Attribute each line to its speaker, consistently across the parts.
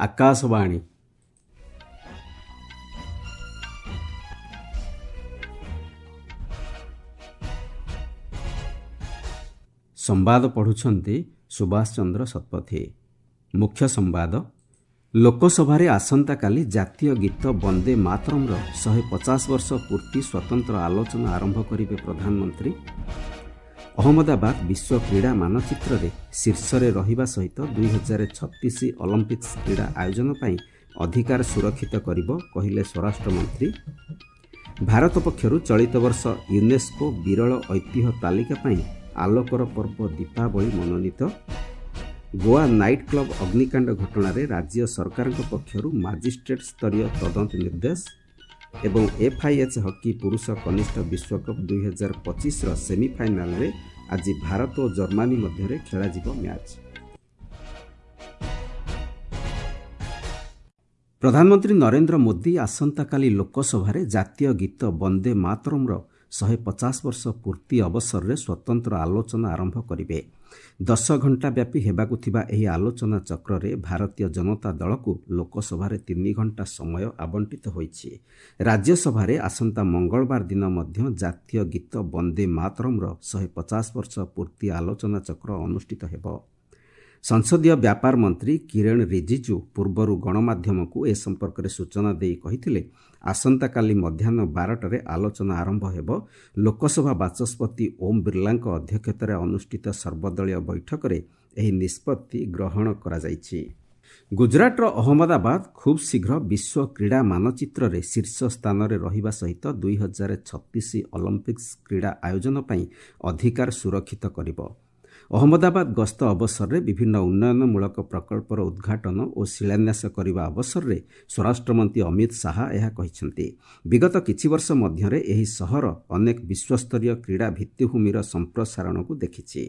Speaker 1: ଆକାଶବାଣୀ। ସମ୍ବାଦ ପଢ଼ୁଛନ୍ତି ସୁଭାଷ ଚନ୍ଦ୍ର ଶତପଥୀ। ମୁଖ୍ୟ ସମ୍ବାଦ। ଲୋକସଭାରେ ଆସନ୍ତାକାଲି ଜାତୀୟ ଗୀତ ବନ୍ଦେ ମାତରମ୍ର 150 ବର୍ଷ ପୂର୍ତ୍ତି ସ୍ୱତନ୍ତ୍ର ଆଲୋଚନା ଆରମ୍ଭ କରିବେ ପ୍ରଧାନମନ୍ତ୍ରୀ। ଅହମ୍ମଦାବାଦ ବିଶ୍ୱ କ୍ରୀଡ଼ା ମାନଚିତ୍ରରେ ଶୀର୍ଷରେ ରହିବା ସହିତ 2036 ଅଲିମ୍ପିକ୍ସ କ୍ରୀଡ଼ା ଆୟୋଜନ ପାଇଁ ଅଧିକାର ସୁରକ୍ଷିତ କରିବ, କହିଲେ ସ୍ୱରାଷ୍ଟ୍ରମନ୍ତ୍ରୀ। ଭାରତ ପକ୍ଷରୁ ଚଳିତ ବର୍ଷ ୟୁନେସ୍କୋ ବିରଳ ଐତିହ୍ୟ ତାଲିକା ପାଇଁ ଆଲୋକର ପର୍ବ ଦୀପାବଳି ମନୋନୀତ। ଗୋଆ ନାଇଟ୍ କ୍ଲବ୍ ଅଗ୍ନିକାଣ୍ଡ ଘଟଣାରେ ରାଜ୍ୟ ସରକାରଙ୍କ ପକ୍ଷରୁ ମାଜିଷ୍ଟ୍ରେଟ୍ ସ୍ତରୀୟ ତଦନ୍ତ ନିର୍ଦ୍ଦେଶ ଏବଂ ଏଫ୍ଆଇଏଚ୍ ହକି ପୁରୁଷ କନିଷ୍ଠ ବିଶ୍ୱକପ୍ 2025ର ସେମିଫାଇନାଲରେ ଆଜି ଭାରତ ଓ ଜର୍ମାନୀ ମଧ୍ୟରେ ଖେଳାଯିବ ମ୍ୟାଚ୍। ପ୍ରଧାନମନ୍ତ୍ରୀ ନରେନ୍ଦ୍ର ମୋଦି ଆସନ୍ତାକାଲି ଲୋକସଭାରେ ଜାତୀୟ ଗୀତ ବନ୍ଦେ ମାତରମ୍ର 150 ବର୍ଷ ପୂର୍ତ୍ତି ଅବସରରେ ସ୍ୱତନ୍ତ୍ର ଆଲୋଚନା ଆରମ୍ଭ କରିବେ। 10 ଘଣ୍ଟା ବ୍ୟାପୀ ହେବାକୁ ଥିବା ଏହି ଆଲୋଚନା ଚକ୍ରରେ ଭାରତୀୟ ଜନତା ଦଳକୁ ଲୋକସଭାରେ 3 ଘଣ୍ଟା ସମୟ ଆବଣ୍ଟିତ ହୋଇଛି। ରାଜ୍ୟସଭାରେ ଆସନ୍ତା ମଙ୍ଗଳବାର ଦିନ ମଧ୍ୟ ଜାତୀୟ ଗୀତ ବନ୍ଦେ ମାତରମ୍ର 150 ବର୍ଷ ପୂର୍ତ୍ତି ଆଲୋଚନା ଚକ୍ର ଅନୁଷ୍ଠିତ ହେବ। ସଂସଦୀୟ ବ୍ୟାପାର ମନ୍ତ୍ରୀ କିରଣ ରିଜିଜୁ ପୂର୍ବରୁ ଗଣମାଧ୍ୟମକୁ ଏ ସମ୍ପର୍କରେ ସୂଚନା ଦେଇ କହିଥିଲେ, ଆସନ୍ତାକାଲି ମଧ୍ୟାହ୍ନ 12ଟାରେ ଆଲୋଚନା ଆରମ୍ଭ ହେବ। ଲୋକସଭା ବାଚସ୍ପତି ଓମ୍ ବିର୍ଲାଙ୍କ ଅଧ୍ୟକ୍ଷତାରେ ଅନୁଷ୍ଠିତ ସର୍ବଦଳୀୟ ବୈଠକରେ ଏହି ନିଷ୍ପତ୍ତି ଗ୍ରହଣ କରାଯାଇଛି। ଗୁଜରାଟର ଅହମ୍ମଦାବାଦ ଖୁବ୍ ଶୀଘ୍ର ବିଶ୍ୱ କ୍ରୀଡ଼ା ମାନଚିତ୍ରରେ ଶୀର୍ଷ ସ୍ଥାନରେ ରହିବା ସହିତ 2036 ଅଲିମ୍ପିକ୍ସ କ୍ରୀଡ଼ା ଆୟୋଜନ ପାଇଁ ଅଧିକାର ସୁରକ୍ଷିତ କରିବ। ଅହମ୍ମଦାବାଦ ଗସ୍ତ ଅବସରରେ ବିଭିନ୍ନ ଉନ୍ନୟନମୂଳକ ପ୍ରକଳ୍ପର ଉଦ୍ଘାଟନ ଓ ଶିଳାନ୍ୟାସ କରିବା ଅବସରରେ ସ୍ୱରାଷ୍ଟ୍ରମନ୍ତ୍ରୀ ଅମିତ ଶାହା ଏହା କହିଛନ୍ତି। ବିଗତ କିଛି ବର୍ଷ ମଧ୍ୟରେ ଏହି ସହର ଅନେକ ବିଶ୍ୱସ୍ତରୀୟ କ୍ରୀଡ଼ା ଭିତ୍ତିଭୂମିର ସମ୍ପ୍ରସାରଣକୁ ଦେଖିଛି।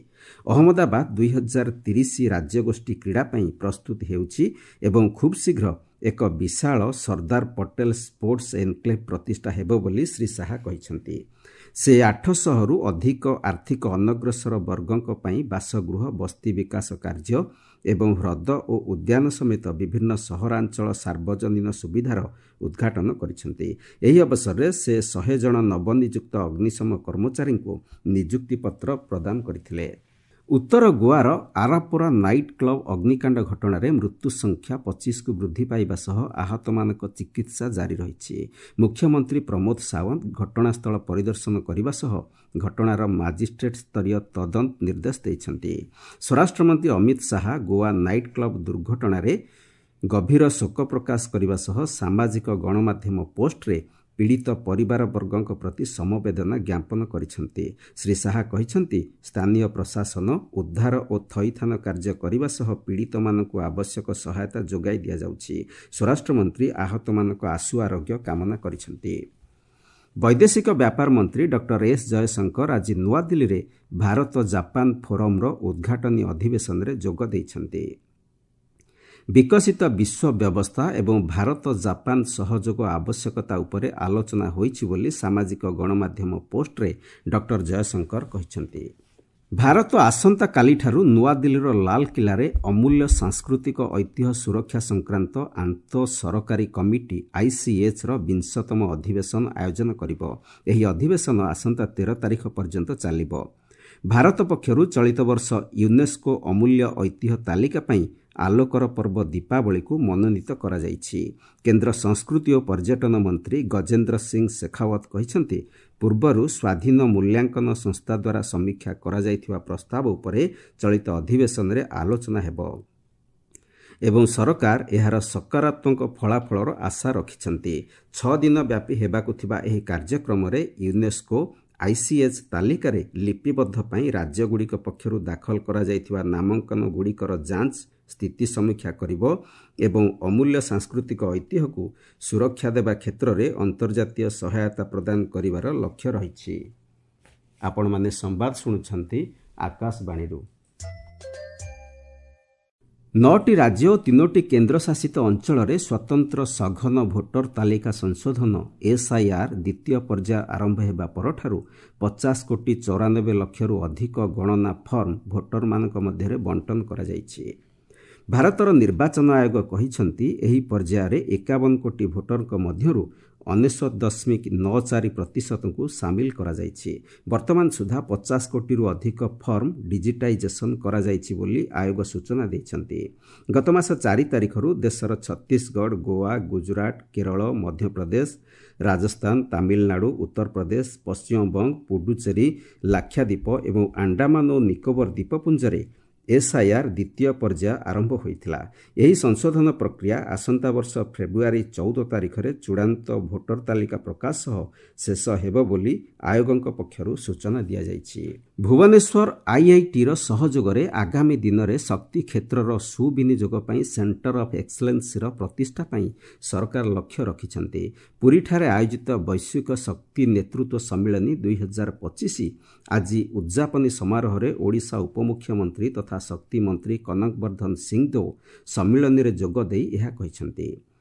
Speaker 1: ଅହମ୍ମଦାବାଦ 2030 ରାଜ୍ୟଗୋଷ୍ଠୀ କ୍ରୀଡ଼ା ପାଇଁ ପ୍ରସ୍ତୁତ ହେଉଛି ଏବଂ ଖୁବ୍ ଶୀଘ୍ର ଏକ ବିଶାଳ ସର୍ଦ୍ଦାର ପଟେଲ ସ୍ପୋର୍ଟସ୍ ଏନ୍କ୍ଲେଭ୍ ପ୍ରତିଷ୍ଠା ହେବ ବୋଲି ଶ୍ରୀ ଶାହା କହିଛନ୍ତି। ସେ 800ରୁ ଅଧିକ ଆର୍ଥିକ ଅନଗ୍ରସର ବର୍ଗଙ୍କ ପାଇଁ ବାସଗୃହ, ବସ୍ତି ବିକାଶ କାର୍ଯ୍ୟ ଏବଂ ହ୍ରଦ ଓ ଉଦ୍ୟାନ ସମେତ ବିଭିନ୍ନ ସହରାଞ୍ଚଳ ସାର୍ବଜନୀନ ସୁବିଧାର ଉଦ୍ଘାଟନ କରିଛନ୍ତି। ଏହି ଅବସରରେ ସେ 100 ଜଣ ନବନିଯୁକ୍ତ ଅଗ୍ନିଶମ କର୍ମଚାରୀଙ୍କୁ ନିଯୁକ୍ତିପତ୍ର ପ୍ରଦାନ କରିଥିଲେ। ଉତ୍ତର ଗୋଆର ଆରାପୋରା ନାଇଟ୍ କ୍ଲବ୍ ଅଗ୍ନିକାଣ୍ଡ ଘଟଣାରେ ମୃତ୍ୟୁ ସଂଖ୍ୟା 25କୁ ବୃଦ୍ଧି ପାଇବା ସହ ଆହତମାନଙ୍କ ଚିକିତ୍ସା ଜାରି ରହିଛି। ମୁଖ୍ୟମନ୍ତ୍ରୀ ପ୍ରମୋଦ ସାୱନ୍ତ ଘଟଣାସ୍ଥଳ ପରିଦର୍ଶନ କରିବା ସହ ଘଟଣାର ମାଜିଷ୍ଟ୍ରେଟ୍ ସ୍ତରୀୟ ତଦନ୍ତ ନିର୍ଦ୍ଦେଶ ଦେଇଛନ୍ତି। ସ୍ୱରାଷ୍ଟ୍ରମନ୍ତ୍ରୀ ଅମିତ ଶାହା ଗୋଆ ନାଇଟ୍ କ୍ଲବ୍ ଦୁର୍ଘଟଣାରେ ଗଭୀର ଶୋକ ପ୍ରକାଶ କରିବା ସହ ସାମାଜିକ ଗଣମାଧ୍ୟମ ପୋଷ୍ଟରେ ପୀଡ଼ିତ ପରିବାରବର୍ଗଙ୍କ ପ୍ରତି ସମବେଦନା ଜ୍ଞାପନ କରିଛନ୍ତି। ଶ୍ରୀ ଶାହା କହିଛନ୍ତି, ସ୍ଥାନୀୟ ପ୍ରଶାସନ ଉଦ୍ଧାର ଓ ଥଇଥାନ କାର୍ଯ୍ୟ କରିବା ସହ ପୀଡ଼ିତମାନଙ୍କୁ ଆବଶ୍ୟକ ସହାୟତା ଯୋଗାଇ ଦିଆଯାଉଛି। ସ୍ୱରାଷ୍ଟ୍ରମନ୍ତ୍ରୀ ଆହତମାନଙ୍କ ଆଶୁ ଆରୋଗ୍ୟ କାମନା କରିଛନ୍ତି। ବୈଦେଶିକ ବ୍ୟାପାର ମନ୍ତ୍ରୀ ଡକ୍ଟର ଏସ୍ ଜୟଶଙ୍କର ଆଜି ନୂଆଦିଲ୍ଲୀରେ ଭାରତ ଜାପାନ ଫୋରମ୍ର ଉଦ୍ଘାଟନୀ ଅଧିବେଶନରେ ଯୋଗ ଦେଇଛନ୍ତି। ବିକଶିତ ବିଶ୍ୱ ବ୍ୟବସ୍ଥା ଏବଂ ଭାରତ ଜାପାନ ସହଯୋଗ ଆବଶ୍ୟକତା ଉପରେ ଆଲୋଚନା ହୋଇଛି ବୋଲି ସାମାଜିକ ଗଣମାଧ୍ୟମ ପୋଷ୍ଟରେ ଡକ୍ଟର ଜୟଶଙ୍କର କହିଛନ୍ତି। ଭାରତ ଆସନ୍ତାକାଲିଠାରୁ ନୂଆଦିଲ୍ଲୀର ଲାଲକିଲ୍ଲାରେ ଅମୂଲ୍ୟ ସାଂସ୍କୃତିକ ଐତିହ୍ୟ ସୁରକ୍ଷା ସଂକ୍ରାନ୍ତ ଆନ୍ତଃ ସରକାରୀ କମିଟି ଆଇସିଏଚ୍ର ବିଂଶତମ ଅଧିବେଶନ ଆୟୋଜନ କରିବ। ଏହି ଅଧିବେଶନ ଆସନ୍ତା 13 ତାରିଖ ପର୍ଯ୍ୟନ୍ତ ଚାଲିବ। ଭାରତ ପକ୍ଷରୁ ଚଳିତ ବର୍ଷ ୟୁନେସ୍କୋ ଅମୂଲ୍ୟ ଐତିହ୍ୟ ତାଲିକା ପାଇଁ ଆଲୋକର ପର୍ବ ଦୀପାବଳିକୁ ମନୋନୀତ କରାଯାଇଛି। କେନ୍ଦ୍ର ସଂସ୍କୃତି ଓ ପର୍ଯ୍ୟଟନ ମନ୍ତ୍ରୀ ଗଜେନ୍ଦ୍ର ସିଂ ଶେଖାୱତ କହିଛନ୍ତି, ପୂର୍ବରୁ ସ୍ୱାଧୀନ ମୂଲ୍ୟାଙ୍କନ ସଂସ୍ଥା ଦ୍ୱାରା ସମୀକ୍ଷା କରାଯାଇଥିବା ପ୍ରସ୍ତାବ ଉପରେ ଚଳିତ ଅଧିବେଶନରେ ଆଲୋଚନା ହେବ ଏବଂ ସରକାର ଏହାର ସକାରାତ୍ମକ ଫଳାଫଳର ଆଶା ରଖିଛନ୍ତି। 6 ଦିନ ବ୍ୟାପୀ ହେବାକୁ ଥିବା ଏହି କାର୍ଯ୍ୟକ୍ରମରେ ୟୁନେସ୍କୋ ଆଇସିଏଚ୍ ତାଲିକାରେ ଲିପିବଦ୍ଧ ପାଇଁ ରାଜ୍ୟଗୁଡ଼ିକ ପକ୍ଷରୁ ଦାଖଲ କରାଯାଇଥିବା ନାମାଙ୍କନଗୁଡ଼ିକର ଯାଞ୍ଚ ସ୍ଥିତି ସମୀକ୍ଷା କରିବ ଏବଂ ଅମୂଲ୍ୟ ସାଂସ୍କୃତିକ ଐତିହ୍ୟକୁ ସୁରକ୍ଷା ଦେବା କ୍ଷେତ୍ରରେ ଅନ୍ତର୍ଜାତୀୟ ସହାୟତା ପ୍ରଦାନ କରିବାର ଲକ୍ଷ୍ୟ ରହିଛି। ଆପଣମାନେ ସମ୍ବାଦ ଶୁଣୁଛନ୍ତି ଆକାଶବାଣୀରୁ। 9ଟି ରାଜ୍ୟ ଓ 3ଟି କେନ୍ଦ୍ରଶାସିତ ଅଞ୍ଚଳରେ ସ୍ୱତନ୍ତ୍ର ସଘନ ଭୋଟର ତାଲିକା ସଂଶୋଧନ ଏସ୍ଆଇଆର୍ ଦ୍ୱିତୀୟ ପର୍ଯ୍ୟାୟ ଆରମ୍ଭ ହେବା ପରଠାରୁ 50 କୋଟି 94 ଲକ୍ଷରୁ ଅଧିକ ଗଣନା ଫର୍ମ ଭୋଟରମାନଙ୍କ ମଧ୍ୟରେ ବଣ୍ଟନ କରାଯାଇଛି। ଭାରତର ନିର୍ବାଚନ ଆୟୋଗ କହିଛନ୍ତି, ଏହି ପର୍ଯ୍ୟାୟରେ 51 କୋଟି ଭୋଟରଙ୍କ ମଧ୍ୟରୁ 99.94%ଙ୍କୁ ସାମିଲ କରାଯାଇଛି। ବର୍ତ୍ତମାନ ସୁଦ୍ଧା 50 କୋଟିରୁ ଅଧିକ ଫର୍ମ ଡିଜିଟାଇଜେସନ୍ କରାଯାଇଛି ବୋଲି ଆୟୋଗ ସୂଚନା ଦେଇଛନ୍ତି। ଗତମାସ 4 ତାରିଖରୁ ଦେଶର ଛତିଶଗଡ଼, ଗୋଆ, ଗୁଜରାଟ, କେରଳ, ମଧ୍ୟପ୍ରଦେଶ, ରାଜସ୍ଥାନ, ତାମିଲନାଡୁ, ଉତ୍ତରପ୍ରଦେଶ, ପଶ୍ଚିମବଙ୍ଗ, ପୁଡୁଚେରୀ, ଲାକ୍ଷାଦ୍ୱୀପ ଏବଂ ଆଣ୍ଡାମାନ ଓ ନିକୋବର ଦ୍ୱୀପପୁଞ୍ଜରେ ଏସ୍ଆଇଆର୍ ଦ୍ୱିତୀୟ ପର୍ଯ୍ୟାୟ ଆରମ୍ଭ ହୋଇଥିଲା। ଏହି ସଂଶୋଧନ ପ୍ରକ୍ରିୟା ଆସନ୍ତା ବର୍ଷ ଫେବୃଆରୀ 14 ତାରିଖରେ ଚୂଡ଼ାନ୍ତ ଭୋଟର ତାଲିକା ପ୍ରକାଶ ସହ ଶେଷ ହେବ ବୋଲି ଆୟୋଗଙ୍କ ପକ୍ଷରୁ ସୂଚନା ଦିଆଯାଇଛି। ଭୁବନେଶ୍ୱର ଆଇଆଇଟିର ସହଯୋଗରେ ଆଗାମୀ ଦିନରେ ଶକ୍ତି କ୍ଷେତ୍ରର ସୁବିନିଯୋଗ ପାଇଁ ସେଣ୍ଟର ଅଫ୍ ଏକ୍ସଲେନ୍ସିର ପ୍ରତିଷ୍ଠା ପାଇଁ ସରକାର ଲକ୍ଷ୍ୟ ରଖିଛନ୍ତି। ପୁରୀଠାରେ ଆୟୋଜିତ ବୈଶ୍ୱିକ ଶକ୍ତି ନେତୃତ୍ୱ ସମ୍ମିଳନୀ 2025 ଆଜି ଉଦ୍ଯାପନୀ ସମାରୋହରେ ଓଡ଼ିଶା ଉପମୁଖ୍ୟମନ୍ତ୍ରୀ ତଥା ଶକ୍ତି ମନ୍ତ୍ରୀ କନକ ବର୍ଦ୍ଧନ ସିଂଦେଓ ସମ୍ମିଳନୀରେ ଯୋଗଦେଇ ଏହା କହିଛନ୍ତି।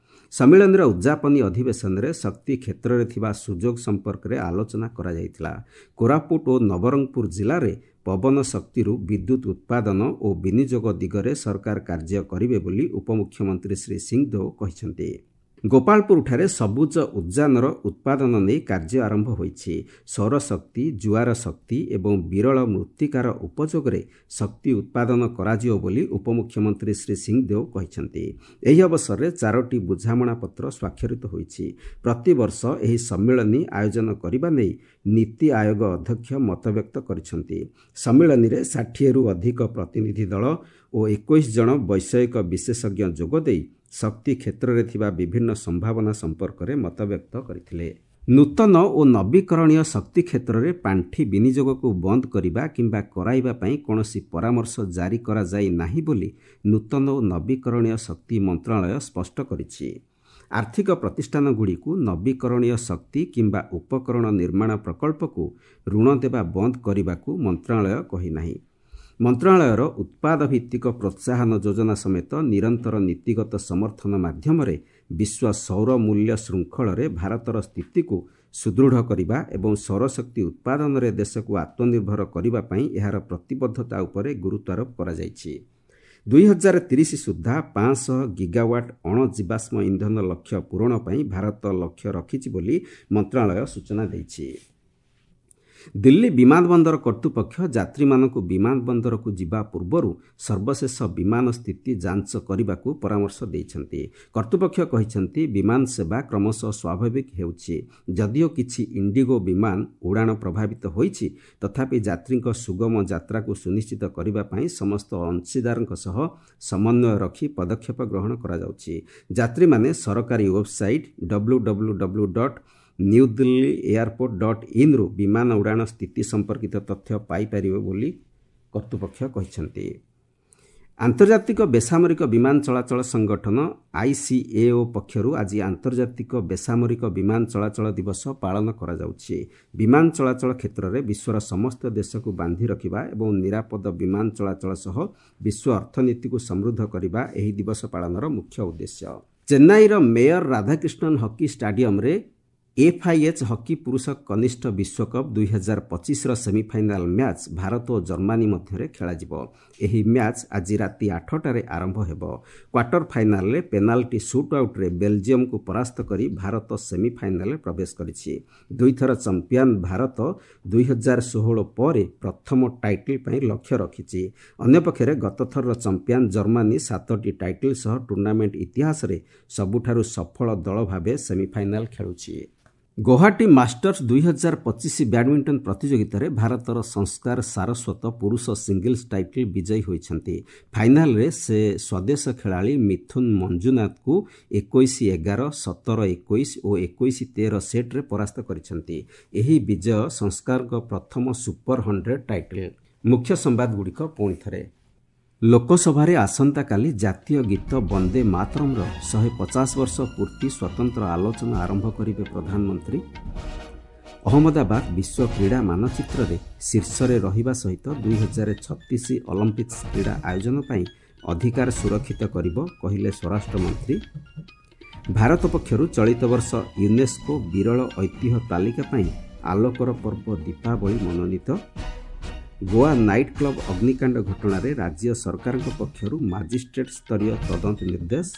Speaker 1: ସମ୍ମିଳନୀର ଉଦ୍ଯାପନୀ ଅଧିବେଶନରେ ଶକ୍ତି କ୍ଷେତ୍ରରେ ଥିବା ସୁଯୋଗ ସମ୍ପର୍କରେ ଆଲୋଚନା କରାଯାଇଥିଲା। କୋରାପୁଟ ଓ ନବରଙ୍ଗପୁର ଜିଲ୍ଲାରେ ପବନ ଶକ୍ତିରୁ ବିଦ୍ୟୁତ୍ ଉତ୍ପାଦନ ଓ ବିନିଯୋଗ ଦିଗରେ ସରକାର କାର୍ଯ୍ୟ କରିବେ ବୋଲି ଉପମୁଖ୍ୟମନ୍ତ୍ରୀ ଶ୍ରୀ ସିଂଦେଓ କହିଛନ୍ତି। ଗୋପାଳପୁରଠାରେ ସବୁଜ ଉଦ୍ଯାନର ଉତ୍ପାଦନ ନେଇ କାର୍ଯ୍ୟ ଆରମ୍ଭ ହୋଇଛି। ସୌରଶକ୍ତି, ଜୁଆର ଶକ୍ତି ଏବଂ ବିରଳ ମୃତ୍ତିକାର ଉପଯୋଗରେ ଶକ୍ତି ଉତ୍ପାଦନ କରାଯିବ ବୋଲି ଉପମୁଖ୍ୟମନ୍ତ୍ରୀ ଶ୍ରୀ ସିଂଦେଓ କହିଛନ୍ତି। ଏହି ଅବସରରେ 4ଟି ବୁଝାମଣାପତ୍ର ସ୍ୱାକ୍ଷରିତ ହୋଇଛି। ପ୍ରତିବର୍ଷ ଏହି ସମ୍ମିଳନୀ ଆୟୋଜନ କରିବା ନେଇ ନୀତି ଆୟୋଗ ଅଧ୍ୟକ୍ଷ ମତବ୍ୟକ୍ତ କରିଛନ୍ତି। ସମ୍ମିଳନୀରେ 60ରୁ ଅଧିକ ପ୍ରତିନିଧି ଦଳ ଓ 21 ଜଣ ବୈଷୟିକ ବିଶେଷଜ୍ଞ ଯୋଗଦେଇ ଶକ୍ତି କ୍ଷେତ୍ରରେ ଥିବା ବିଭିନ୍ନ ସମ୍ଭାବନା ସମ୍ପର୍କରେ ମତବ୍ୟକ୍ତ କରିଥିଲେ। ନୂତନ ଓ ନବୀକରଣୀୟ ଶକ୍ତି କ୍ଷେତ୍ରରେ ପାଣ୍ଠି ବିନିଯୋଗକୁ ବନ୍ଦ କରିବା କିମ୍ବା କରାଇବା ପାଇଁ କୌଣସି ପରାମର୍ଶ ଜାରି କରାଯାଇ ନାହିଁ ବୋଲି ନୂତନ ଓ ନବୀକରଣୀୟ ଶକ୍ତି ମନ୍ତ୍ରଣାଳୟ ସ୍ପଷ୍ଟ କରିଛି। ଆର୍ଥିକ ପ୍ରତିଷ୍ଠାନଗୁଡ଼ିକୁ ନବୀକରଣୀୟ ଶକ୍ତି କିମ୍ବା ଉପକରଣ ନିର୍ମାଣ ପ୍ରକଳ୍ପକୁ ଋଣ ଦେବା ବନ୍ଦ କରିବାକୁ ମନ୍ତ୍ରଣାଳୟ କହିନାହିଁ। ମନ୍ତ୍ରଣାଳୟର ଉତ୍ପାଦ ଭିତ୍ତିକ ପ୍ରୋତ୍ସାହନ ଯୋଜନା ସମେତ ନିରନ୍ତର ନୀତିଗତ ସମର୍ଥନ ମାଧ୍ୟମରେ ବିଶ୍ୱ ସୌର ମୂଲ୍ୟ ଶୃଙ୍ଖଳରେ ଭାରତର ସ୍ଥିତିକୁ ସୁଦୃଢ଼ କରିବା ଏବଂ ସୌରଶକ୍ତି ଉତ୍ପାଦନରେ ଦେଶକୁ ଆତ୍ମନିର୍ଭର କରିବା ପାଇଁ ଏହାର ପ୍ରତିବଦ୍ଧତା ଉପରେ ଗୁରୁତ୍ୱାରୋପ କରାଯାଇଛି। 2030 ସୁଦ୍ଧା 500 ଗିଗାୱାଟ୍ ଅଣଜୀବାଶ୍ମ ଇନ୍ଧନ ଲକ୍ଷ୍ୟ ପୂରଣ ପାଇଁ ଭାରତ ଲକ୍ଷ୍ୟ ରଖିଛି ବୋଲି ମନ୍ତ୍ରଣାଳୟ ସୂଚନା ଦେଇଛି। ଦିଲ୍ଲୀ ବିମାନ ବନ୍ଦର କର୍ତ୍ତୃପକ୍ଷ ଯାତ୍ରୀମାନଙ୍କୁ ବିମାନ ବନ୍ଦରକୁ ଯିବା ପୂର୍ବରୁ ସର୍ବଶେଷ ବିମାନ ସ୍ଥିତି ଯାଞ୍ଚ କରିବାକୁ ପରାମର୍ଶ ଦେଇଛନ୍ତି। କର୍ତ୍ତୃପକ୍ଷ କହିଛନ୍ତି, ବିମାନ ସେବା କ୍ରମଶଃ ସ୍ୱାଭାବିକ ହେଉଛି। ଯଦିଓ କିଛି ଇଣ୍ଡିଗୋ ବିମାନ ଉଡ଼ାଣ ପ୍ରଭାବିତ ହୋଇଛି, ତଥାପି ଯାତ୍ରୀଙ୍କ ସୁଗମ ଯାତ୍ରାକୁ ସୁନିଶ୍ଚିତ କରିବା ପାଇଁ ସମସ୍ତ ଅଂଶୀଦାରଙ୍କ ସହ ସମନ୍ୱୟ ରଖି ପଦକ୍ଷେପ ଗ୍ରହଣ କରାଯାଉଛି। ଯାତ୍ରୀମାନେ ସରକାରୀ ୱେବସାଇଟ୍ www.newdelhiairport.inରୁ ବିମାନ ଉଡ଼ାଣ ସ୍ଥିତି ସମ୍ପର୍କିତ ତଥ୍ୟ ପାଇପାରିବେ ବୋଲି କର୍ତ୍ତୃପକ୍ଷ କହିଛନ୍ତି। ଆନ୍ତର୍ଜାତିକ ବେସାମରିକ ବିମାନ ଚଳାଚଳ ସଂଗଠନ ଆଇସିଏଓ ପକ୍ଷରୁ ଆଜି ଆନ୍ତର୍ଜାତିକ ବେସାମରିକ ବିମାନ ଚଳାଚଳ ଦିବସ ପାଳନ କରାଯାଉଛି। ବିମାନ ଚଳାଚଳ କ୍ଷେତ୍ରରେ ବିଶ୍ୱର ସମସ୍ତ ଦେଶକୁ ବାନ୍ଧି ରଖିବା ଏବଂ ନିରାପଦ ବିମାନ ଚଳାଚଳ ସହ ବିଶ୍ୱ ଅର୍ଥନୀତିକୁ ସମୃଦ୍ଧ କରିବା ଏହି ଦିବସ ପାଳନର ମୁଖ୍ୟ ଉଦ୍ଦେଶ୍ୟ। ଚେନ୍ନାଇର ମେୟର ରାଧାକ୍ରିଷ୍ଣନ୍ ହକି ଷ୍ଟାଡିୟମରେ ଏଫ୍ଆଇଏଚ୍ ହକି ପୁରୁଷ କନିଷ୍ଠ ବିଶ୍ୱକପ୍ 2025ର ସେମିଫାଇନାଲ ମ୍ୟାଚ୍ ଭାରତ ଓ ଜର୍ମାନୀ ମଧ୍ୟରେ ଖେଳାଯିବ। ଏହି ମ୍ୟାଚ୍ ଆଜି ରାତି 8ଟାରେ ଆରମ୍ଭ ହେବ। କ୍ୱାର୍ଟର ଫାଇନାଲରେ ପେନାଲ୍ଟି ସୁଟ୍ ଆଉଟ୍ରେ ବେଲଜିୟମକୁ ପରାସ୍ତ କରି ଭାରତ ସେମିଫାଇନାଲରେ ପ୍ରବେଶ କରିଛି। ଦୁଇଥର ଚାମ୍ପିୟନ ଭାରତ 2016 ପରେ ପ୍ରଥମ ଟାଇଟଲ୍ ପାଇଁ ଲକ୍ଷ୍ୟ ରଖିଛି। ଅନ୍ୟପକ୍ଷରେ ଗତଥରର ଚାମ୍ପିୟନ ଜର୍ମାନୀ 7ଟି ଟାଇଟଲ୍ ସହ ଟୁର୍ଣ୍ଣାମେଣ୍ଟ ଇତିହାସରେ ସବୁଠାରୁ ସଫଳ ଦଳ ଭାବେ ସେମିଫାଇନାଲ ଖେଳୁଛି। ଗୌହାଟୀ ମାଷ୍ଟର୍ସ 2025 ବ୍ୟାଡମିଣ୍ଟନ ପ୍ରତିଯୋଗିତାରେ ଭାରତର ସଂସ୍କାର ସାରସ୍ୱତ ପୁରୁଷ ସିଙ୍ଗଲ୍ସ ଟାଇଟଲ୍ ବିଜୟୀ ହୋଇଛନ୍ତି। ଫାଇନାଲରେ ସେ ସ୍ୱଦେଶ ଖେଳାଳି ମିଥୁନ ମଞ୍ଜୁନାଥଙ୍କୁ 21-11, 17-21 ଓ 21-13 ସେଟ୍ରେ ପରାସ୍ତ କରିଛନ୍ତି। ଏହି ବିଜୟ ସଂସ୍କାରଙ୍କ ପ୍ରଥମ ସୁପର 100 ଟାଇଟଲ୍। ମୁଖ୍ୟ ସମ୍ବାଦଗୁଡ଼ିକ ପୁଣି ଥରେ। ଲୋକସଭାରେ ଆସନ୍ତାକାଲି ଜାତୀୟ ଗୀତ ବନ୍ଦେ ମାତରମ୍ର 150 ବର୍ଷ ପୂର୍ତ୍ତି ସ୍ୱତନ୍ତ୍ର ଆଲୋଚନା ଆରମ୍ଭ କରିବେ ପ୍ରଧାନମନ୍ତ୍ରୀ। ଅହମ୍ମଦାବାଦ ବିଶ୍ୱ କ୍ରୀଡ଼ା ମାନଚିତ୍ରରେ ଶୀର୍ଷରେ ରହିବା ସହିତ 2036 ଅଲିମ୍ପିକ୍ସ କ୍ରୀଡ଼ା ଆୟୋଜନ ପାଇଁ ଅଧିକାର ସୁରକ୍ଷିତ କରିବ, କହିଲେ ସ୍ୱରାଷ୍ଟ୍ରମନ୍ତ୍ରୀ। ଭାରତ ପକ୍ଷରୁ ଚଳିତ ବର୍ଷ ୟୁନେସ୍କୋ ବିରଳ ଐତିହ୍ୟ ତାଲିକା ପାଇଁ ଆଲୋକର ପର୍ବ ଦୀପାବଳି ମନୋନୀତ। ଗୋଆ ନାଇଟ୍ କ୍ଲବ୍ ଅଗ୍ନିକାଣ୍ଡ ଘଟଣାରେ ରାଜ୍ୟ ସରକାରଙ୍କ ପକ୍ଷରୁ ମାଜିଷ୍ଟ୍ରେଟ୍ ସ୍ତରୀୟ ତଦନ୍ତ ନିର୍ଦ୍ଦେଶ।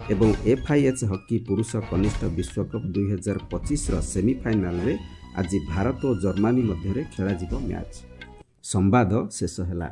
Speaker 1: ଏବଂ ଏଫ୍ଆଇଏଚ୍ ହକି ପୁରୁଷ କନିଷ୍ଠ ବିଶ୍ୱକପ୍ 2025ର ସେମିଫାଇନାଲରେ ଆଜି ଭାରତ ଓ ଜର୍ମାନୀ ମଧ୍ୟରେ ଖେଳାଯିବ ମ୍ୟାଚ୍। ସମ୍ବାଦ ଶେଷ ହେଲା।